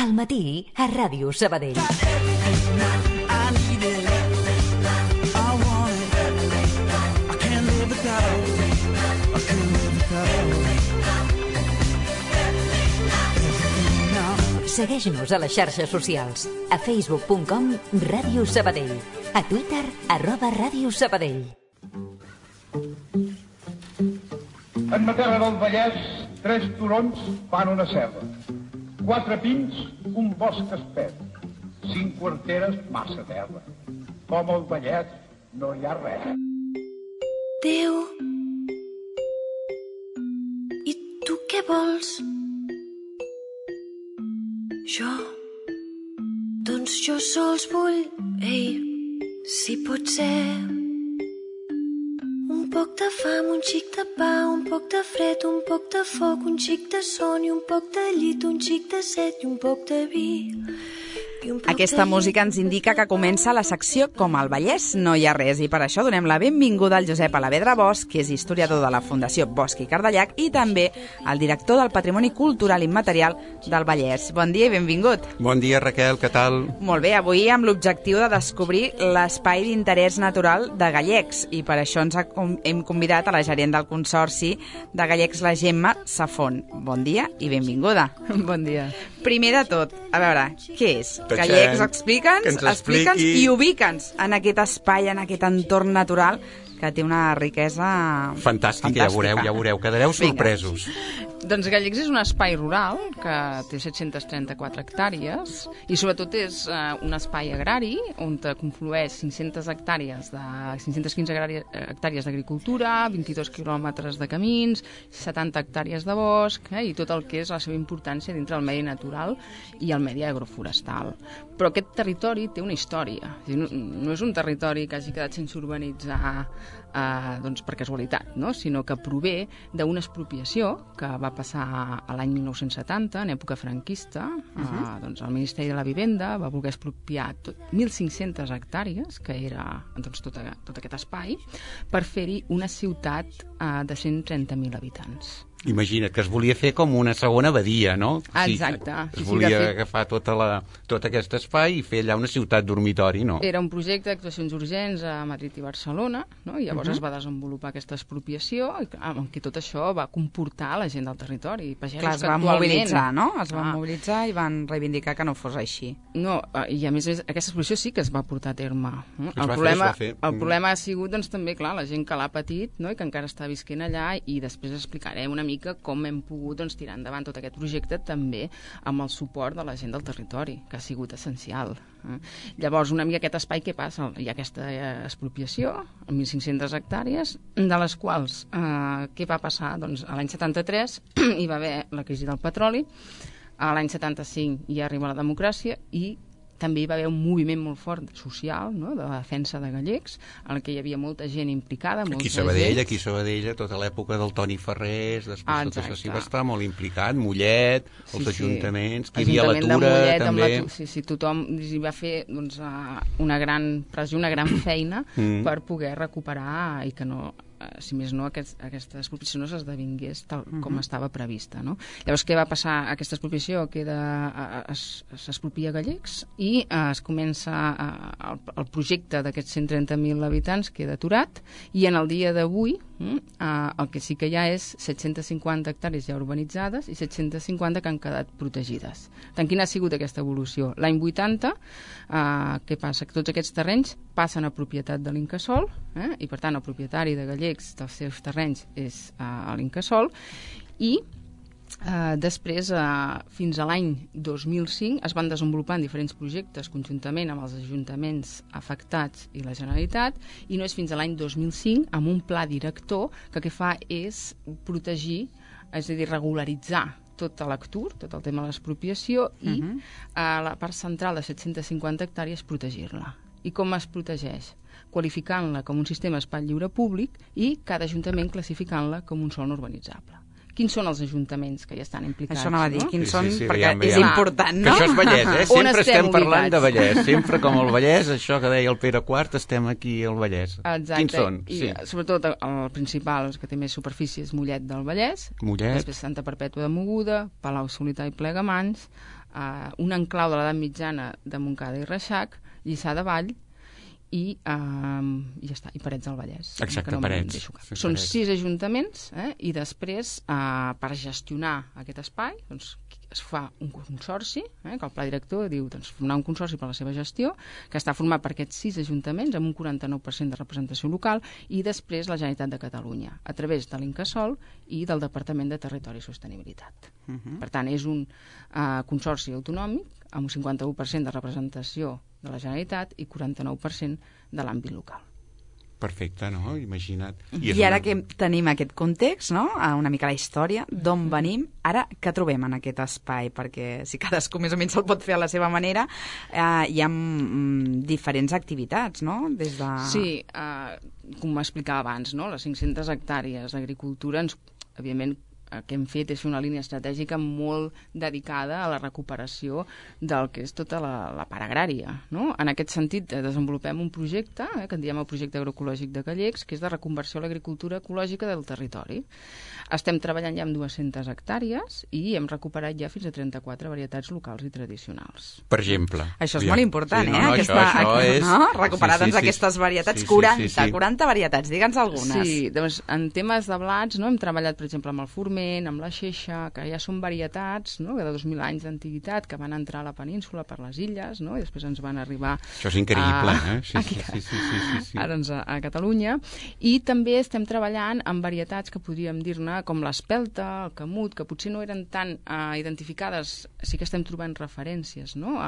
Al matí a Ràdio Sabadell. Segueix-nos a les xarxes socials. A facebook.com Ràdio Sabadell. A Twitter @Ràdio Sabadell. En ma terra del Vallès, 3 turons fan una serra. 4 pins, un bosc espès. 5 quarteres, massa terra. Com al Vallès no hi ha res. Déu, i tu què vols? Jo, doncs jo sols vull, si pot ser, un poc de fam, un xic de pa, un poc de fred, un poc de foc, un xic de son i un poc de llit, un xic de set i un poc de vi. Aquesta música ens indica que comença la secció Com al Vallès no hi ha res, i per això donem la benvinguda al Josep Alavedra Bosch, que és historiador de la Fundació Bosch i Cardellac i també el director del Patrimoni Cultural Immaterial del Vallès. Bon dia i benvingut. Bon dia, Raquel, què tal? Molt bé, avui amb l'objectiu de descobrir l'espai d'interès natural de Gallecs, i per això ens hem convidat a la gerent del Consorci de Gallecs, la Gemma Safont. Bon dia i benvinguda. Bon dia. Primer de tot, a veure, què és? Gallecs, explica'ns i ubica'ns en aquest espai, en aquest entorn natural que té una riquesa fantàstica. Ja veureu, quedareu sorpresos. Doncs Gallecs és un espai rural que té 734 hectàrees i sobretot és un espai agrari on conflueix 515 hectàrees d'agricultura, 22 quilòmetres de camins, 70 hectàrees de bosc i tot el que és la seva importància dintre del medi natural i el medi agroforestal. Però aquest territori té una història. No és un territori que hagi quedat sense urbanitzar doncs per casualitat, no? Sinó que prové d'una expropiació que va passar a l'any 1970, en època franquista. Doncs el Ministeri de la Vivenda va voler expropiar 1.500 hectàrees, que era doncs, tot aquest espai, per fer-hi una ciutat de 130.000 habitants. Imagina't que es volia fer com una segona badia, no? Exacte. Es volia agafar tot aquest espai i fer allà una ciutat dormitori, no? Era un projecte d'actuacions urgents a Madrid i Barcelona, no? I llavors es va desenvolupar aquesta expropiació, en què tot això va comportar la gent del territori. Clar, es van mobilitzar, no? Es van mobilitzar i van reivindicar que no fos així. No, i a més aquesta expropiació sí que es va portar a terme. El problema ha sigut, doncs, també, clar, la gent que l'ha patit, no? I que encara està visquent allà, i després explicarem una mica com hem pogut tirar endavant tot aquest projecte també amb el suport de la gent del territori, que ha sigut essencial. Llavors, una mica aquest espai, què passa? Hi ha aquesta expropiació, 1.500 hectàrees, de les quals, què va passar? Doncs a l'any 73 hi va haver la crisi del petroli, a l'any 75 hi arriba la democràcia i també hi va haver un moviment molt fort social, no?, de la defensa de Gallecs, en què hi havia molta gent implicada. Aquí a Sabadell, tota l'època del Toni Ferrés, després tot això s'hi va estar molt implicat, Mollet, els ajuntaments, que hi havia la Tura, també. Sí, tothom hi va fer una gran pressió, una gran feina per poder recuperar i que no... si més no, aquesta expropiació no s'esdevingués tal com estava prevista, no? Llavors, què va passar? Aquesta expropiació s'expropia Gallecs i es comença el projecte d'aquests 130.000 habitants queda aturat, i en el dia d'avui el que sí que hi ha és 750 hectàrees ja urbanitzades i 750 que han quedat protegides. Tant quina ha sigut aquesta evolució? L'any 80, què passa? Que tots aquests terrenys passen a propietat de l'Incasòl, i per tant el propietari de Gallecs dels seus terrenys és l'Incasòl, i després, fins a l'any 2005, es van desenvolupant diferents projectes conjuntament amb els ajuntaments afectats i la Generalitat, i no és fins a l'any 2005, amb un pla director, que el que fa és protegir, és a dir, regularitzar tot l'ACTUR, tot el tema de l'expropiació, i a la part central de 750 hectàrees protegir-la. I com es protegeix? Qualificant-la com un sistema espai lliure públic i cada ajuntament classificant-la com un sòl no urbanitzable. Quins són els ajuntaments que hi estan implicats? Això anava a dir, quins són, perquè és important, no? Que això és Vallès, Sempre estem parlant de Vallès. Sempre com el Vallès, això que deia el Pere IV, estem aquí al Vallès. Exacte. Quins són? I sobretot el principal, que té més superfície, és Mollet del Vallès. Després Santa Perpètua de Mogoda, Palau Solità i Plegamans, un enclau de l'edat mitjana de Montcada i Reixac, Lliçà de Vall i ja està, i Parets del Vallès. Exacte, Parets. Són 6 ajuntaments, i després, per gestionar aquest espai, doncs, es fa un consorci, que el pla director diu, doncs, formar un consorci per a la seva gestió, que està format per aquests 6 ajuntaments amb un 49% de representació local, i després la Generalitat de Catalunya, a través de l'Incasòl i del Departament de Territori i Sostenibilitat. Per tant, és un consorci autonòmic amb un 51% de representació de la Generalitat i 49% de l'àmbit local. Perfecte, no? Imagina't. I ara que tenim aquest context, no? Una mica la història, d'on venim, ara què trobem en aquest espai? Perquè si cadascú més o menys el pot fer a la seva manera, hi ha diferents activitats, no? Des de... Sí, com m'explicava abans, no? Les 500 hectàrees d'agricultura, evidentment, el que hem fet és fer una línia estratègica molt dedicada a la recuperació del que és tota la part agrària, no? En aquest sentit, desenvolupem un projecte, que en diem el projecte agroecològic de Gallecs, que és de reconversió a l'agricultura ecològica del territori. Estem treballant ja amb 200 hectàrees i hem recuperat ja fins a 34 varietats locals i tradicionals. Per exemple. Això és molt important, Això és... Recuperar aquestes varietats, 40 varietats, digue'ns algunes. Sí, doncs en temes de blats, no? Hem treballat, per exemple, amb el forment, amb la xeixa, que ja són varietats, no? De 2.000 anys d'antiguitat, que van entrar a la península per les illes, no? I després ens van arribar... Això és increïble, Sí. Ara a Catalunya. I també estem treballant amb varietats que podríem dir-ne com l'espelta, el camut, que potser no eren tan identificades, sí que estem trobant referències, no?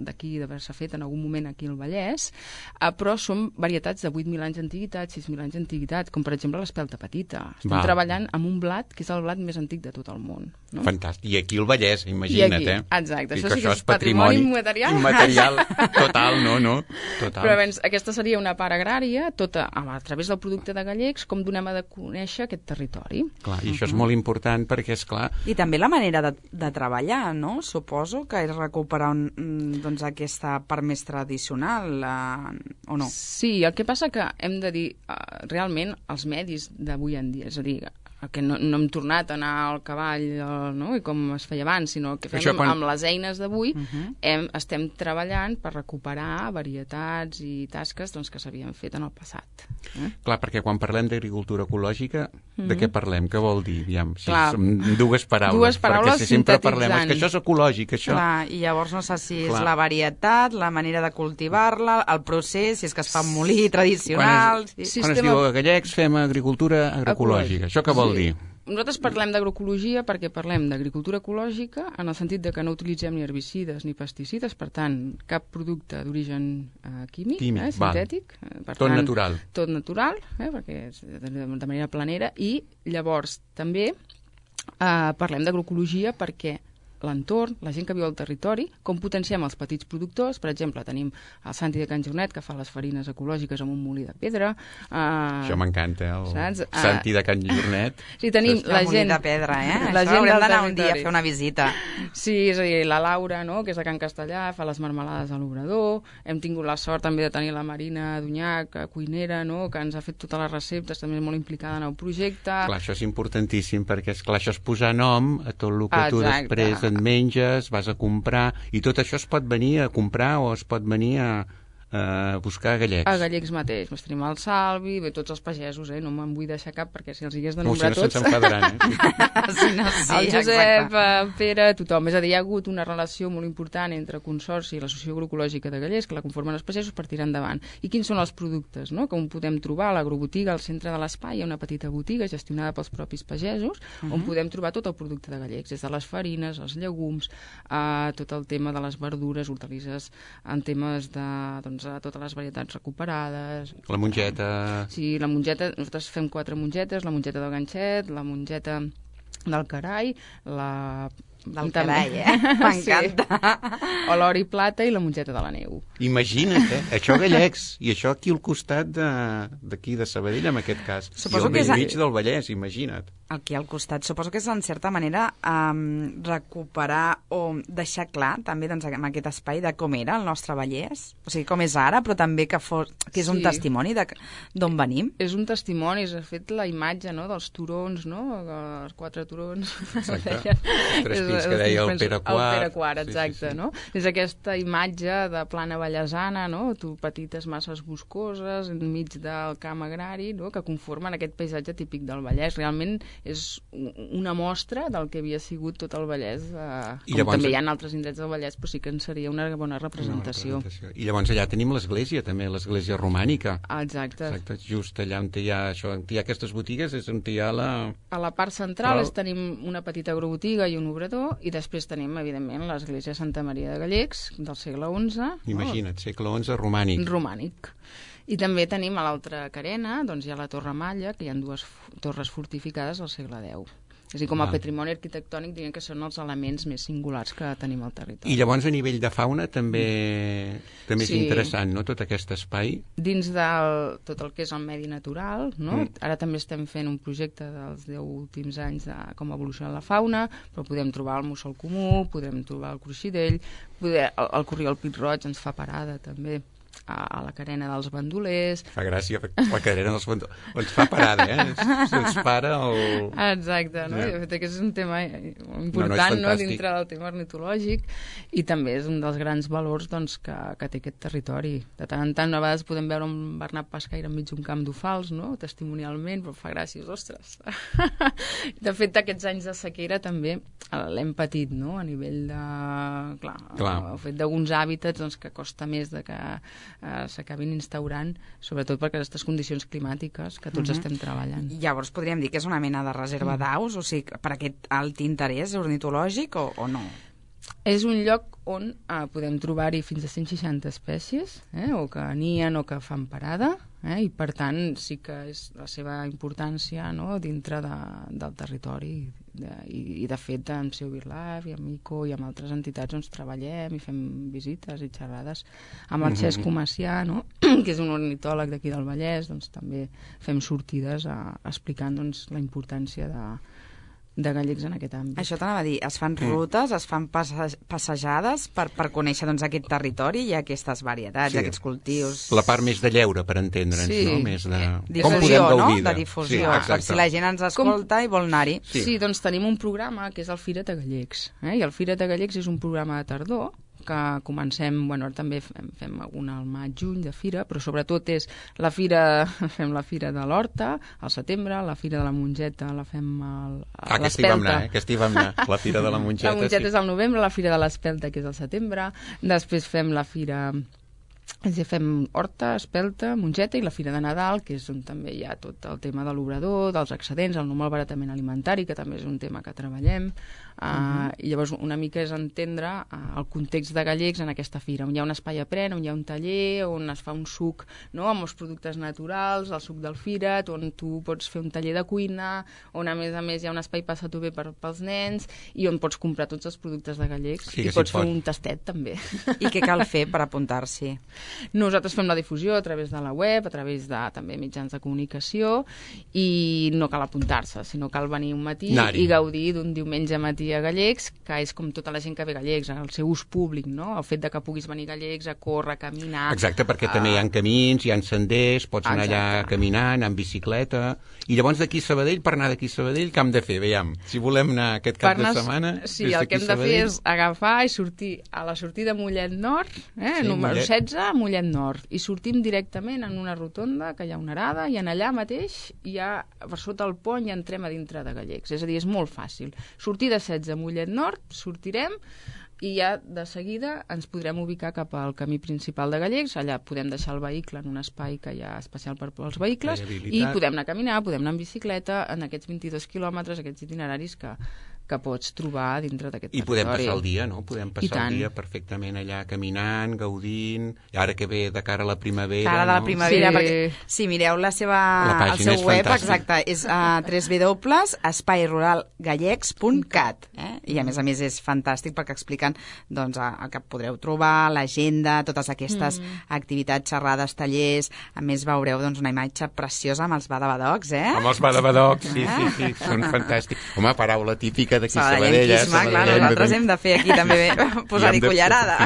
D'aquí d'haver-se fet en algun moment aquí al Vallès, però són varietats de 8.000 anys d'antiguitat, 6.000 anys d'antiguitat, com per exemple l'espelta petita. Estem treballant amb un blat que és el blat més antic de tot el món. No? Fantàstic. I aquí al Vallès, imagina't, Exacte. Això sí que és patrimoni immaterial. Immaterial, total, no? Total. Però abans, aquesta seria una part agrària, tota a través del producte de Gallecs, com donem a de conèixer aquest territori. Clar, i això és molt important perquè, és clar... I també la manera de treballar, no? Suposo que és recuperar doncs, aquesta part més tradicional, o no? Sí, el que passa que hem de dir, realment, els medis d'avui en dia, és a dir, que no hem tornat a anar al cavall, no? I com es feia abans, sinó que fem amb les eines d'avui, estem treballant per recuperar varietats i tasques doncs, que s'havien fet en el passat. Clar, perquè quan parlem d'agricultura ecològica, de què parlem? Què vol dir? Són dues paraules perquè sempre parlem, és que això és ecològic, això... Clar, i llavors no sé si és la varietat, la manera de cultivar-la, el procés, si és que es fa molí tradicional... Quan es diu a Gallecs fem agricultura agroecològica, això què vol dir? Nosaltres parlem d'agroecologia perquè parlem d'agricultura ecològica en el sentit de que no utilitzem ni herbicides ni pesticides, per tant, cap producte d'origen químic, sintètic. Tot natural. Tot natural, perquè és de manera planera, i llavors també parlem d'agroecologia perquè l'entorn, la gent que viu al territori, com potenciem els petits productors. Per exemple, tenim el Santi de Can Jornet, que fa les farines ecològiques amb un molí de pedra. Això m'encanta, el Santi de Can Jornet. Sí, tenim la gent... molí de pedra, Això haurem d'anar un dia a fer una visita. Sí, és a dir, la Laura, no?, que és de Can Castellà, fa les marmelades a l'Obrador. Hem tingut la sort també de tenir la Marina Dunyac, cuinera, no?, que ens ha fet totes les receptes, també és molt implicada en el projecte. Clar, això és importantíssim, perquè, esclar, això és posar nom a tot el que tu després et menges, vas a comprar, i tot això es pot venir a comprar o es pot venir a buscar a Gallecs. A Gallecs mateix. Tenim el Salvi, bé, tots els pagesos, no me'n vull deixar cap, perquè si els hagués de nombrar tots... se'ns enfadaran, el Josep, el Pere, tothom. És a dir, hi ha hagut una relació molt important entre el Consorci i l'Associació Agroecològica de Gallecs, que la conformen els pagesos, per tirar endavant. I quins són els productes, no?, que on podem trobar? A l'agrobotiga, al centre de l'espai, hi ha una petita botiga gestionada pels propis pagesos, on podem trobar tot el producte de Gallecs, des de les farines, els llegums, tot el tema de les verdures, hortalisses, en temes de, doncs, a totes les varietats recuperades. La mongeta... Sí, la mongeta, nosaltres fem 4 mongetes, la mongeta del ganxet, la mongeta del carai, la... Del carai, m'encanta. Sí. O l'or i plata i la mongeta de la neu. Imagina't, això a Gallecs, i això aquí al costat d'aquí de Sabadell, en aquest cas. Suposo I al mig del Vallès, imagina't. Aquí al costat. Suposo que és, en certa manera, recuperar o deixar clar, també, doncs, en aquest espai de com era el nostre Vallès, o sigui, com és ara, però també que és un testimoni d'on venim. És un testimoni, és fet la imatge, no?, dels turons, no?, els 4 turons. Exacte. 3 que deia el Pere IV. El Pere IV, exacte, no? És aquesta imatge de plana ballesana, no? Petites masses boscoses enmig del camp agrari, no? Que conformen aquest paisatge típic del Vallès. Realment és una mostra del que havia sigut tot el Vallès, com llavors, també hi ha altres indrets del Vallès, però sí que en seria una bona representació. I llavors allà tenim l'església, també, l'església romànica. Exacte. Just allà on hi ha aquestes botigues és on hi ha la... A la part central tenim una petita agrobotiga i un obrador, i després tenim, evidentment, l'església Santa Maria de Gallecs, del segle XI. Imagina't, segle XI, romànic. Romànic. I també tenim a l'altra carena, doncs hi ha la Torre Malla, que hi ha dues torres fortificades del segle X. És a dir, com a patrimoni arquitectònic diuen que són els elements més singulars que tenim al territori. I llavors a nivell de fauna també és interessant, no?, tot aquest espai. Dins de tot el que és el medi natural, no? Ara també estem fent un projecte dels 10 últims anys de com evoluciona la fauna, però podem trobar el mussol comú, podem trobar el cruixidell, el corriol pit-roig ens fa parada també a la carena dels bandolers. Fa gràcia, la carena dels bandolers. Ens fa parada, Se'ns para el... Exacte, no? De fet, aquest és un tema important, no? Dintre del tema ornitològic, i també és un dels grans valors, doncs, que té aquest territori. De tant en tant, a vegades podem veure un bernat pescaire enmig d'un camp d'ofals, no?, testimonialment, però fa gràcia, ostres. De fet, aquests anys de sequera també l'hem patit, no?, a nivell de... Clar. El fet d'alguns hàbitats, doncs, que costa més de que s'acabin instaurant, sobretot per aquestes condicions climàtiques que tots estem treballant. Llavors podríem dir que és una mena de reserva d'aus, o sigui, per aquest alt interès ornitològic o no? És un lloc on podem trobar-hi fins a 160 espècies, o que nien o que fan parada, i per tant sí que és la seva importància, no?, dintre del territori. I de fet amb Seu BirdLife i amb ICO i amb altres entitats doncs treballem i fem visites i xerrades amb el Xesc Comacià, no?, que és un ornitòleg d'aquí del Vallès, doncs també fem sortides explicant doncs la importància de Gallecs en aquest àmbit. Això t'anava a dir, es fan rutes, es fan passejades per conèixer doncs aquest territori i aquestes varietats, aquests cultius... La part més de lleure, per entendre'ns, no? Més de... Difusió, no? De difusió, per si la gent ens escolta i vol anar-hi. Sí, doncs tenim un programa que és el Fira't a Gallecs, i el Fira't a Gallecs és un programa de tardor que comencem, bueno, també fem alguna al maig-juny de fira, però sobretot és la fira, fem la fira de l'Horta al setembre, la fira de la Mongeta la fem a l'Espelta. Aquesta hi vam anar, la fira de la Mongeta. La Mongeta és al novembre, la fira de l'Espelta, que és al setembre, després fem la fira... Fem Horta, Espelta, Mongeta i la Fira de Nadal, que és on també hi ha tot el tema de l'obrador, dels excedents, el no malbaratament alimentari, que també és un tema que treballem. I llavors una mica és entendre el context de Gallecs en aquesta fira, on hi ha un espai a pren, on hi ha un taller, on es fa un suc, no?, amb els productes naturals, el suc del Fira't, on tu pots fer un taller de cuina, on a més hi ha un espai passat bé pels nens i on pots comprar tots els productes de Gallecs i pots fer un tastet també. I què cal fer per apuntar-s'hi? Nosaltres fem la difusió a través de la web, a través de també mitjans de comunicació, i no cal apuntar-se, sinó cal venir un matí i gaudir d'un diumenge matí a Gallecs, que és com tota la gent que ve a Gallecs, el seu ús públic, no? El fet de que puguis venir a Gallecs a córrer, a caminar... Exacte, perquè també hi ha camins, hi ha senders, pots anar allà caminant, en bicicleta... I llavors d'aquí a Sabadell, per anar d'aquí a Sabadell, què hem de fer? Veiem, si volem anar aquest cap de setmana... Sí, el que hem de fer és agafar i sortir a la sortida Mollet Nord, número 16, Mollet Nord, i sortim directament en una rotonda que hi ha una arada, i en allà mateix hi ha, per sota el pont, i entrem a dintre de Gallecs. És a dir, és molt fàcil. Sortir de 16 a Mollet Nord, sortirem, i ja de seguida ens podrem ubicar cap al camí principal de Gallecs. Allà podem deixar el vehicle en un espai que hi ha especial per als vehicles i podem anar a caminar, podem anar en bicicleta en aquests 22 quilòmetres, aquests itineraris que pots trobar dintre d'aquest territori. I podem passar el dia, no? Podem passar el dia perfectament allà caminant, gaudint, i ara que ve de cara a la primavera... Cara de la primavera, perquè si mireu el seu web, exacte, és www.espaiRuralgallecs.cat, i a més és fantàstic perquè expliquen doncs, el que podreu trobar, l'agenda, totes aquestes activitats, xerrades, tallers. A més veureu doncs, una imatge preciosa amb els badabadocs, Amb els badabadocs, sí, són fantàstics. Home, paraula típica mica d'aquí Sabadell. Clar, nosaltres hem de fer aquí també posar-hi cullerada.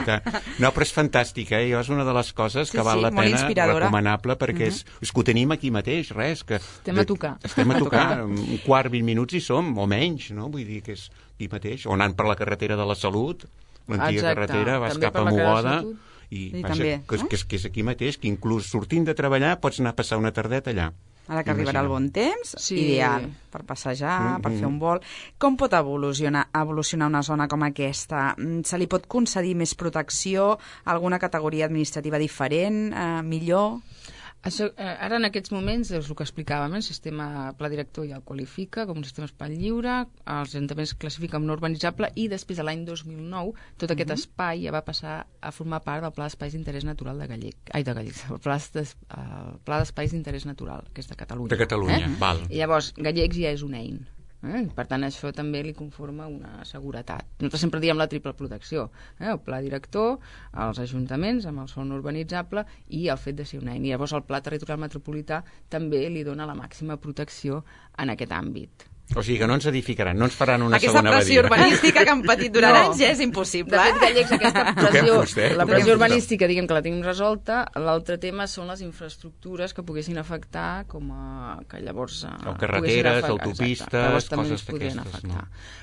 No, però és fantàstic, Jo és una de les coses que val la pena, recomanable, perquè és que ho tenim aquí mateix, res. Estem a tocar. Estem a tocar, un quart, 20 minuts hi som, o menys, no? Vull dir que és aquí mateix, o anant per la carretera de la Salut, l'antiga carretera, vas cap a Mogoda, i que és aquí mateix, que inclús sortint de treballar pots anar a passar una tardeta allà. Ara que arribarà el bon temps, ideal per passejar, per fer un vol. Com pot evolucionar una zona com aquesta? Se li pot concedir més protecció, alguna categoria administrativa diferent, millor? Això, ara en aquests moments és el que explicàvem, el sistema pla director ja el qualifica com un sistema espai lliure, els ajuntaments classifiquen com no urbanitzable i després a l'any 2009 tot aquest espai ja va passar a formar part del Pla d'Espais d'Interès Natural el Pla d'Espais d'Interès Natural, que és de Catalunya. De Catalunya, val. I llavors Gallecs ja és un EIN. Per tant, això també li conforma una seguretat. Nosaltres sempre diem la triple protecció, el pla director, els ajuntaments amb el sòl urbanitzable i el fet de ser un EIN. I llavors el pla territorial metropolità també li dona la màxima protecció en aquest àmbit. O sigui que no ens edificaran, no ens faran una segona badia. Aquesta pressió urbanística que han patit durant anys ja és impossible. De fet, Gallecs, aquesta pressió, la pressió urbanística, diguem que la tenim resolta. L'altre tema són les infraestructures que poguessin afectar, com que llavors... O carreteres, autopistes, coses d'aquestes.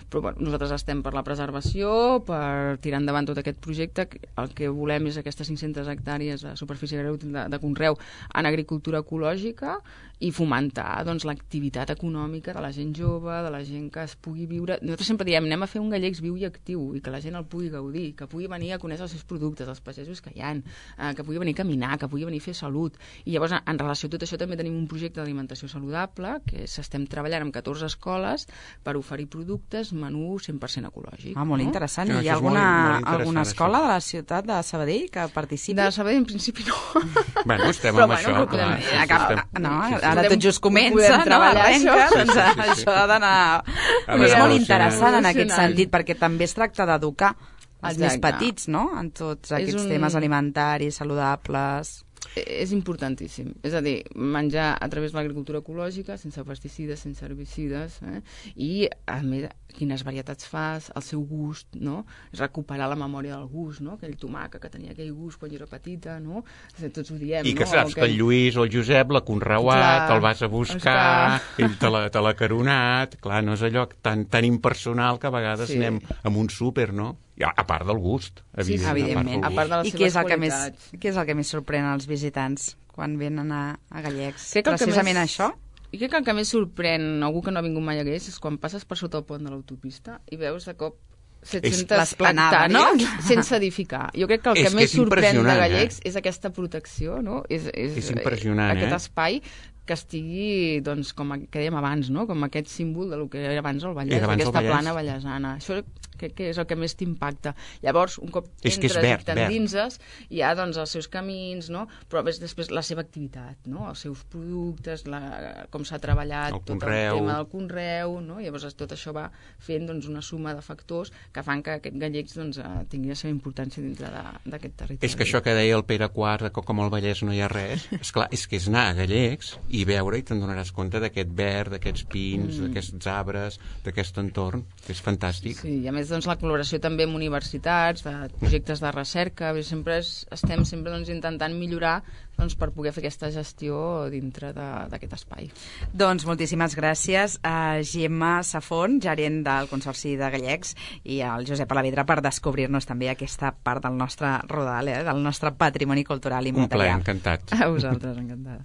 Però bueno, nosaltres estem per la preservació, per tirar endavant tot aquest projecte. El que volem és aquestes 500 hectàrees de superfície de conreu en agricultura ecològica i fomentar l'activitat econòmica de la gent jove, de la gent que es pugui viure. Nosaltres sempre diem, anem a fer un Gallecs viu i actiu i que la gent el pugui gaudir, que pugui venir a conèixer els seus productes, els pagesos que hi ha, que pugui venir a caminar, que pugui venir a fer salut. I llavors, en relació a tot això, també tenim un projecte d'alimentació saludable que estem treballant amb 14 escoles per oferir productes, menú 100% ecològic. Molt interessant. Hi ha alguna escola de la ciutat de Sabadell que participi? De Sabadell, en principi, no. Bueno, estem amb això. Ara tot just comença, arrenca, doncs això ha d'anar... És molt interessant en aquest sentit, perquè també es tracta d'educar els més petits, no?, en tots aquests temes alimentaris, saludables... És importantíssim. És a dir, menjar a través de l'agricultura ecològica, sense pesticides, sense herbicides, i, a més, quines varietats fas, el seu gust, no? Recuperar la memòria del gust, no? Aquell tomàquet que tenia aquell gust quan jo era petita, no? Tots ho diem, I que saps que el Lluís o el Josep l'ha conreuat, te'l vas a buscar, ell te l'ha caronat, clar, no és allò tan impersonal que a vegades anem amb un súper, no? A part del gust, evidentment. A part de les seves qualitats. I què és el que més sorprèn als visitants quan venen a Gallecs? Precisament això? I crec que el que més sorprèn algú que no ha vingut mai a Gallecs és quan passes per sota el pont de l'autopista i veus de cop 700 hectàrees sense edificar. Jo crec que el que més sorprèn de Gallecs és aquesta protecció, no? És impressionant, aquest espai que estigui, doncs, com que dèiem abans, no? Com aquest símbol del que era abans el Vallès, aquesta plana vallesana. Això crec que és el que més t'impacta. Llavors, un cop entres i t'endinses, hi ha doncs, els seus camins, no? Però després la seva activitat, no? Els seus productes, com s'ha treballat tot el tema del conreu, no? Llavors tot això va fent doncs, una suma de factors que fan que aquest Gallecs doncs, tingui la seva importància dintre d'aquest territori. És que això que deia el Pere IV, que com al Vallès no hi ha res, esclar, és que és anar a Gallecs i veure i te'n donaràs compte d'aquest verd, d'aquests pins, d'aquests arbres, d'aquest entorn, que és fantàstic. Sí, i a més doncs, la col·laboració també amb universitats, de projectes de recerca, sempre estem doncs, intentant millorar doncs, per poder fer aquesta gestió dintre d'aquest espai. Doncs moltíssimes gràcies a Gemma Safont, gerent del Consorci de Gallecs, i al Josep Alavedra per descobrir-nos també aquesta part del nostre rodal, del nostre patrimoni cultural i immaterial. Un plaer, encantat. A vosaltres, encantada.